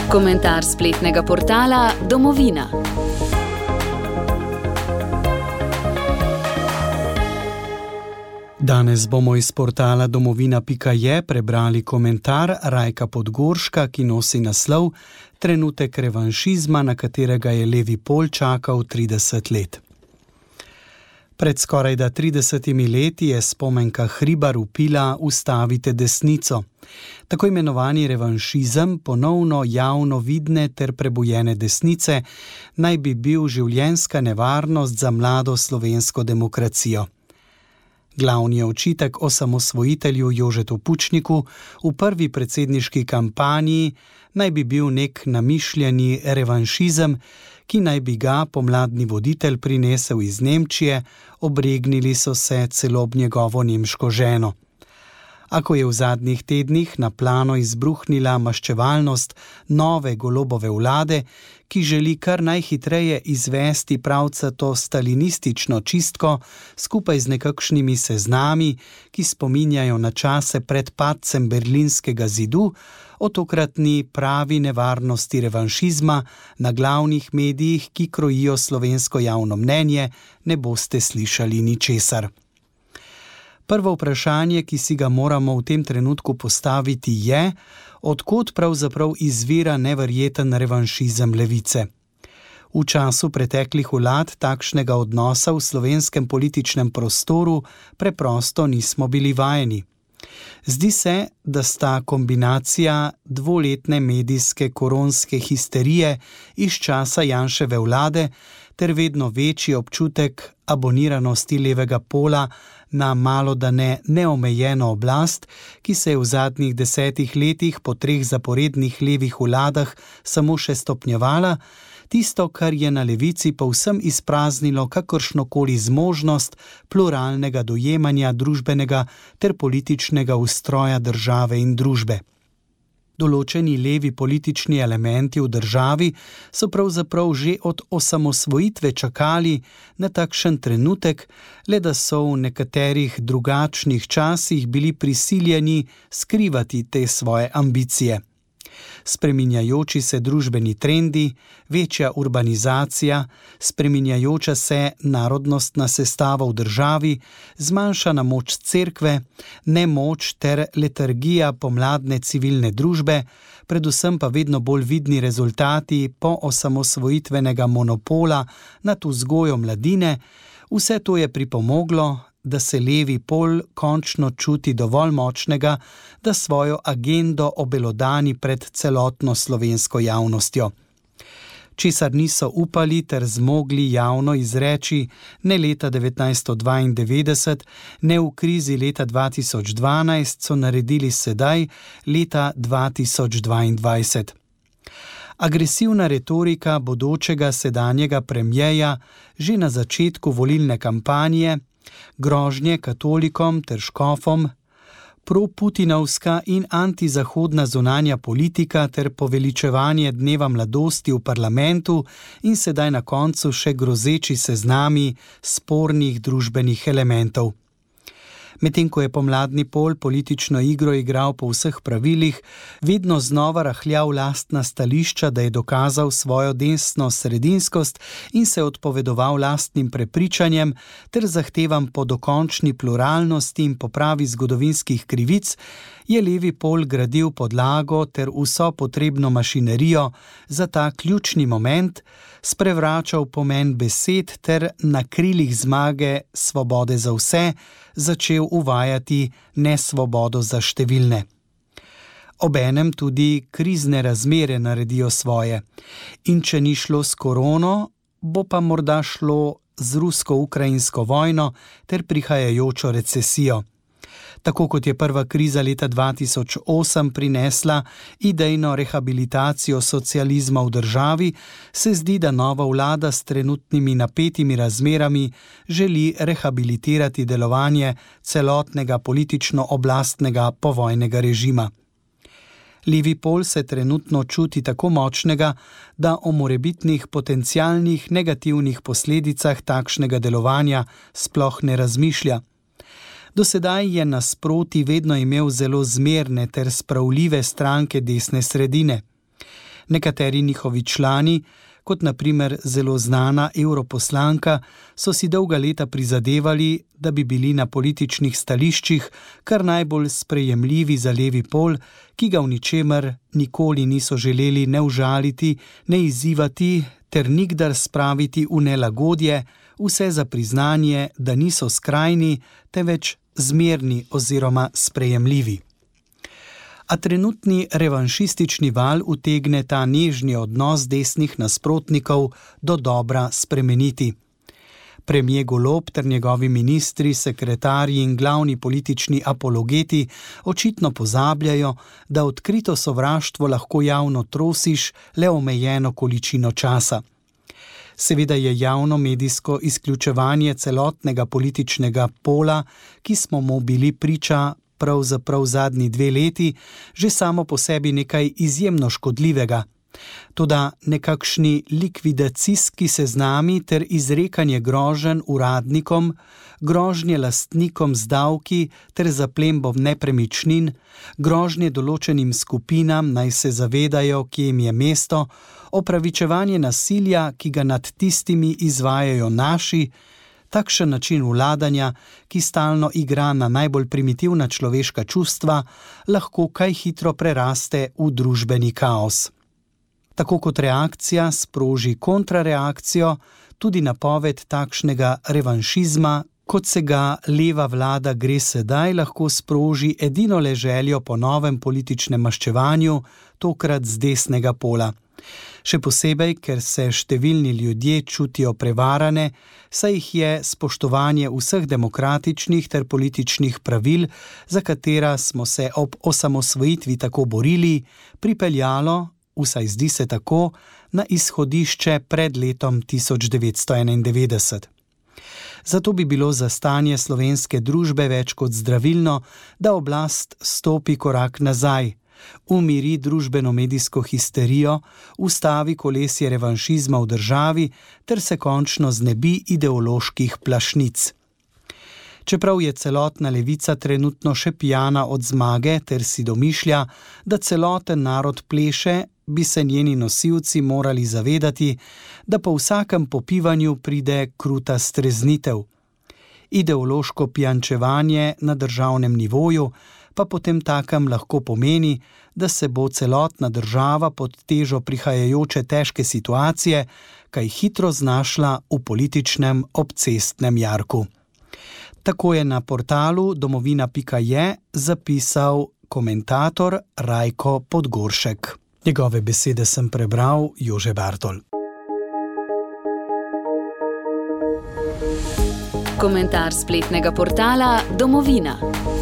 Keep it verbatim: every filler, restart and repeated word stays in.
Komentar spletnega portala Domovina. Danes bomo iz portala domovina pika je prebrali komentar Rajka Podgorška, ki nosi naslov Trenutek revanšizma, na katerega je Levi Pol čakal trideset let. Pred skorajda tridesetimi leti je Spomenka Hribar vpila Ustavite desnico. Tako imenovani revanšizem ponovno javno vidne ter prebujene desnice naj bi bil življenjska nevarnost za mlado slovensko demokracijo. Glavni očitek osamosvojitelju Jožetu Pučniku v prvi predsedniški kampanji naj bi bil nek namišljeni revanšizem, ki naj bi ga pomladni voditelj prinesel iz Nemčije, obregnili so se celo ob njegovo nemško ženo. A ko je v zadnjih tednih na plano izbruhnila maščevalnost nove Golobove vlade, ki želi kar najhitreje izvesti pravcato stalinistično čistko skupaj z nekakšnimi seznami, ki spominjajo na čase pred padcem Berlinskega zidu, o tokratni pravi nevarnosti revanšizma na glavnih medijih, ki krojijo slovensko javno mnenje, ne boste slišali ničesar. Prvo vprašanje, ki si ga moramo v tem trenutku postaviti, je, od kod pravzaprav izvira neverjeten revanšizem levice. V času preteklih vlad takšnega odnosa v slovenskem političnem prostoru preprosto nismo bili vajeni. Zdi se, da sta kombinacija dvoletne medijske koronske histerije iz časa Janševe vlade ter vedno večji občutek aboniranosti levega pola na malodane neomejeno oblast, ki se je v zadnjih desetih letih po treh zaporednih levih vladah samo še stopnjevala, tisto, kar je na levici povsem izpraznilo kakršnokoli zmožnost pluralnega dojemanja družbenega ter političnega ustroja države in družbe. Določeni levi politični elementi v državi so pravzaprav že od osamosvojitve čakali na takšen trenutek, le da so v nekaterih drugačnih časih bili prisiljeni skrivati te svoje ambicije. Spreminjajoči se družbeni trendi, večja urbanizacija, spreminjajoča se narodnostna sestava v državi, zmanjšana moč cerkve, nemoč ter letargija pomladne civilne družbe, predvsem pa vedno bolj vidni rezultati po osamosvojitvenega monopola nad vzgojo mladine, vse to je pripomoglo, da se levi pol končno čuti dovolj močnega, da svojo agendo obelodani pred celotno slovensko javnostjo. Česar niso upali ter zmogli javno izreči ne leta devetnajststo dvaindevetdeset, ne v krizi leta dva tisoč dvanajst, so naredili sedaj, leta dva tisoč dvaindvajset. Agresivna retorika bodočega sedanjega premierja že na začetku volilne kampanje, grožnje katolikom ter škofom, proputinovska in antizahodna zunanja politika ter poveličevanje dneva mladosti v parlamentu in sedaj na koncu še grozeči seznami spornih družbenih elementov. Medtem ko je pomladni pol politično igro igral po vseh pravilih, vedno znova rahljal lastna stališča, da je dokazal svojo desno sredinskost in se odpovedoval lastnim prepričanjem ter zahtevam po dokončni pluralnosti in popravi zgodovinskih krivic, je levi pol gradil podlago ter vso potrebno mašinerijo za ta ključni moment, sprevračal pomen besed ter na krilih zmage svobode za vse začel uvajati nesvobodo za številne. Obenem tudi krizne razmere naredijo svoje. In če ni šlo s korono, bo pa morda šlo z rusko-ukrajinsko vojno ter prihajajočo recesijo. Tako kot je prva kriza leta dva tisoč osem prinesla idejno rehabilitacijo socializma v državi, se zdi, da nova vlada s trenutnimi napetimi razmerami želi rehabilitirati delovanje celotnega politično-oblastnega povojnega režima. Levi pol se trenutno čuti tako močnega, da o morebitnih potencialnih negativnih posledicah takšnega delovanja sploh ne razmišlja. Do sedaj je nasproti vedno imel zelo zmerne ter spravljive stranke desne sredine. Nekateri njihovi člani, kot na primer zelo znana europoslanka, so si dolga leta prizadevali, da bi bili na političnih stališčih kar najbolj sprejemljivi za levi pol, ki ga v ničemer nikoli niso želeli ne užaliti, ne izzivati ter nikdar spraviti v nelagodje, vse za priznanje, da niso skrajni, temveč zmerni oziroma sprejemljivi. A trenutni revanšistični val utegne ta nežni odnos desnih nasprotnikov do dobra spremeniti. Premier Golob ter njegovi ministri, sekretarji in glavni politični apologeti očitno pozabljajo, da odkrito sovraštvo lahko javno trosiš le omejeno količino časa. Seveda je javno medijsko izključevanje celotnega političnega pola, ki smo mu bili priča pravzaprav zadnji dve leti, že samo po sebi nekaj izjemno škodljivega. Toda nekakšni likvidacijski seznami ter izrekanje groženj uradnikom, grožnje lastnikom z davki ter zaplembo nepremičnin, grožnje določenim skupinam naj se zavedajo, kje jim je mesto, opravičevanje nasilja, ki ga nad tistimi izvajajo naši, takšen način vladanja, ki stalno igra na najbolj primitivna človeška čustva, lahko kaj hitro preraste v družbeni kaos. Tako kot reakcija sproži kontrareakcijo, tudi napoved takšnega revanšizma, kot se ga leva vlada gre sedaj, lahko sproži edino le željo po novem političnem maščevanju, tokrat z desnega pola. Še posebej, ker se številni ljudje čutijo prevarane, saj jih je spoštovanje vseh demokratičnih ter političnih pravil, za katera smo se ob osamosvojitvi tako borili, pripeljalo, vsaj zdi se tako, na izhodišče pred letom tisoč devetsto enaindevetdeset. Zato bi bilo za stanje slovenske družbe več kot zdravilno, da oblast stopi korak nazaj, umiri družbeno-medijsko histerijo, ustavi kolesje revanšizma v državi ter se končno znebi ideoloških plašnic. Čeprav je celotna levica trenutno še pijana od zmage ter si domišlja, da celoten narod pleše, bi se njeni nosilci morali zavedati, da po vsakem popivanju pride kruta streznitev. Ideološko pijančevanje na državnem nivoju pa potem takem lahko pomeni, da se bo celotna država pod težo prihajajoče težke situacije kaj hitro znašla v političnem obcestnem jarku. Tako je na portalu domovina pika je zapisal komentator Rajko Podgoršek. Njegove besede sem prebral Jože Bartol. Komentar spletnega portala Domovina.